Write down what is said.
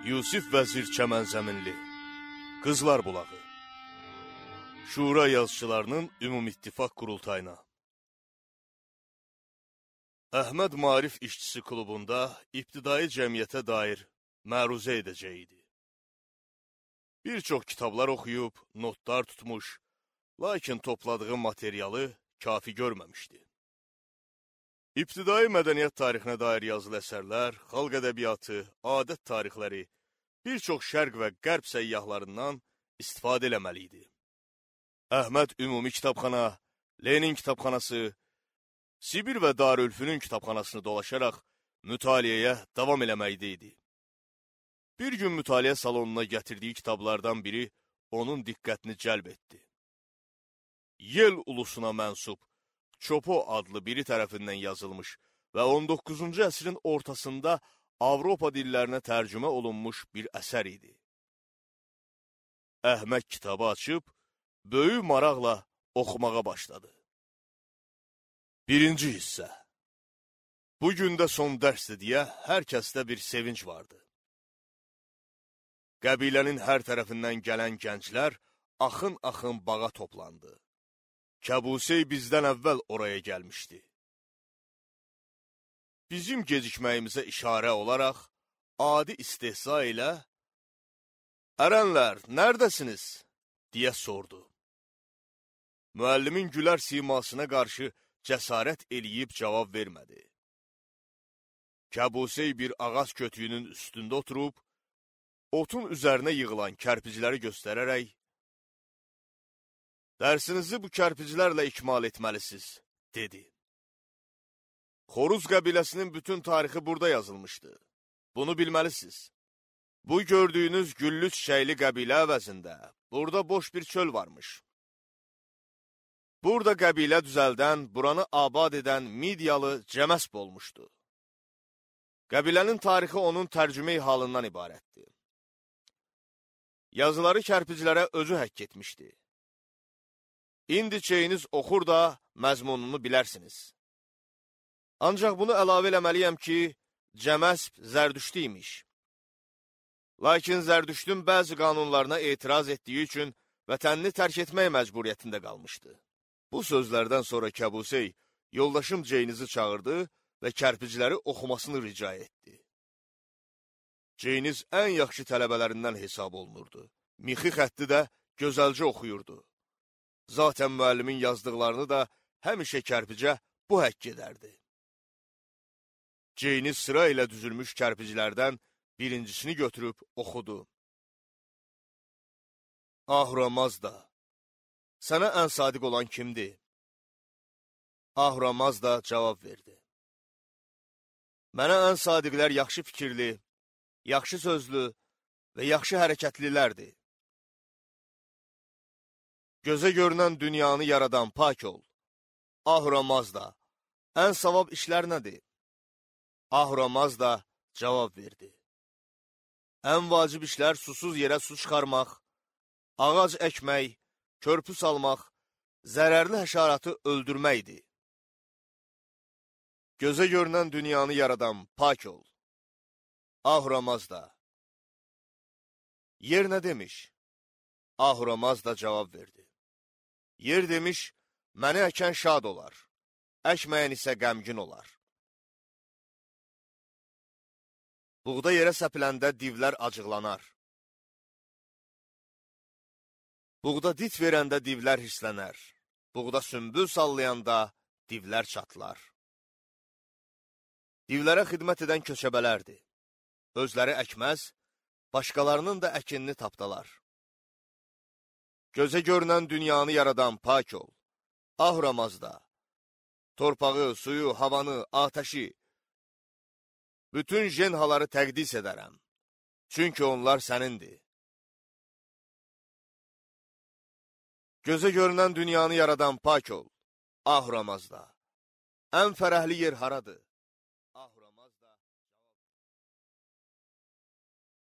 Yusif Vəzir Çəmənzəminli, Qızlar Bulağı, Şura yazıçılarının Ümumittifaq Qurultayına. Əhməd Maarif İşçisi Klubunda ibtidai cəmiyyətə dair məruzə edəcəkdi. Bir çox kitablar oxuyub, notlar tutmuş, lakin topladığı materialı kafi görməmişdi. İbtidai mədəniyyət tarixinə dair yazılı əsərlər, xalq ədəbiyyatı, adət tarixləri, bir çox şərq və qərb səyyahlarından istifadə eləməli idi. Əhməd Ümumi Kitabxana, Lenin Kitabxanası, Sibir və Darülfünün kitabxanasını dolaşaraq mütaliəyə davam eləməkdə idi. Bir gün mütaliə salonuna gətirdiyi kitablardan biri onun diqqətini cəlb etdi. Yel ulusuna mənsub Çopo adlı biri tərəfindən yazılmış və 19-cu əsrin ortasında Avropa dillərinə tərcümə olunmuş bir əsər idi. Əhməd kitabı açıb, böyük maraqla oxumağa başladı. Birinci hissə. Bu gündə son dərsdir deyə hər kəsdə bir sevinç vardı. Qəbilənin hər tərəfindən gələn gənclər axın-axın bağa toplandı. Kəbusey bizdən əvvəl oraya gəlmişdi. Bizim gecikməyimizə işarə olaraq, adi istehza ilə, "Ərənlər, nərdəsiniz?" deyə sordu. Müəllimin gülər simasına qarşı cəsarət eləyib cavab vermədi. Kəbusey bir ağac kötüyünün üstündə oturub, otun üzərinə yığılan kərpicləri göstərərək, "Dərsinizi bu kərpiclərlə ikmal etməlisiniz," dedi. Xoruz qəbiləsinin bütün tarixi burada yazılmışdı. Bunu bilməlisiniz. Bu gördüyünüz güllü çiçəkli qəbilə əvəzində burada boş bir çöl varmış. Burada qəbilə düzəldən, buranı abad edən Midyalı Cəməsb olmuşdu. Qəbilənin tarixi onun tərcüme halından ibarətdir. Yazıları kərpiclərə özü həkk etmişdi. İndi çeyiniz oxur da məzmununu bilərsiniz. Ancaq bunu əlavə eləməliyəm ki, Cəməsb Zərdüştü imiş. Lakin Zərdüştün bəzi qanunlarına etiraz etdiyi üçün vətənini tərk etmək məcburiyyətində qalmışdı. Bu sözlərdən sonra Kəbusey yoldaşım Ceynizi çağırdı və kərpicləri oxumasını rica etdi. Ceyniz ən yaxşı tələbələrindən hesab olunurdu. Mixi xətti də gözəlcə oxuyurdu. Zaten müəllimin yazdıqlarını da həmişə kərpicə bu həkk edərdi. Ceyniz sıra ilə düzülmüş kərpiclərdən birincisini götürüb oxudu. Ahura Mazda, sənə ən sadiq olan kimdir? Ahura Mazda cavab verdi. Mənə ən sadiqlər yaxşı fikirli, yaxşı sözlü və yaxşı hərəkətlilərdir. Gözə görünən dünyanı yaradan pak ol. Ahura Mazda, ən savab işlər nədir? Ahura Mazda cavab verdi. Ən vacib işlər susuz yerə su çıxarmaq, ağac əkmək, körpü salmaq, zərərli həşaratı öldürməkdir. Gözə görünən dünyanı yaradan pak ol. Ahura Mazda. Yer nə demiş? Ahura Mazda cavab verdi. Yer demiş, məni əkən şad olar, əkməyən isə qəmgin olar. Buğda yerə səpiləndə divlər acıqlanar. Buğda dit verəndə divlər hirslənər. Buğda sümbül sallayanda divlər çatlar. Divlərə xidmət edən köçəbələrdir. Özləri əkməz, başqalarının da əkinini tapdalar. Gözə görünən dünyanı yaradan pak ol. Ahura Mazda, torpağı, suyu, havanı, atəşi, bütün jenhaları təqdis edərəm. Çünki onlar sənindir. Gözə görünən dünyanı yaradan pak ol. Ahura Mazda, ən fərəhli yer haradır?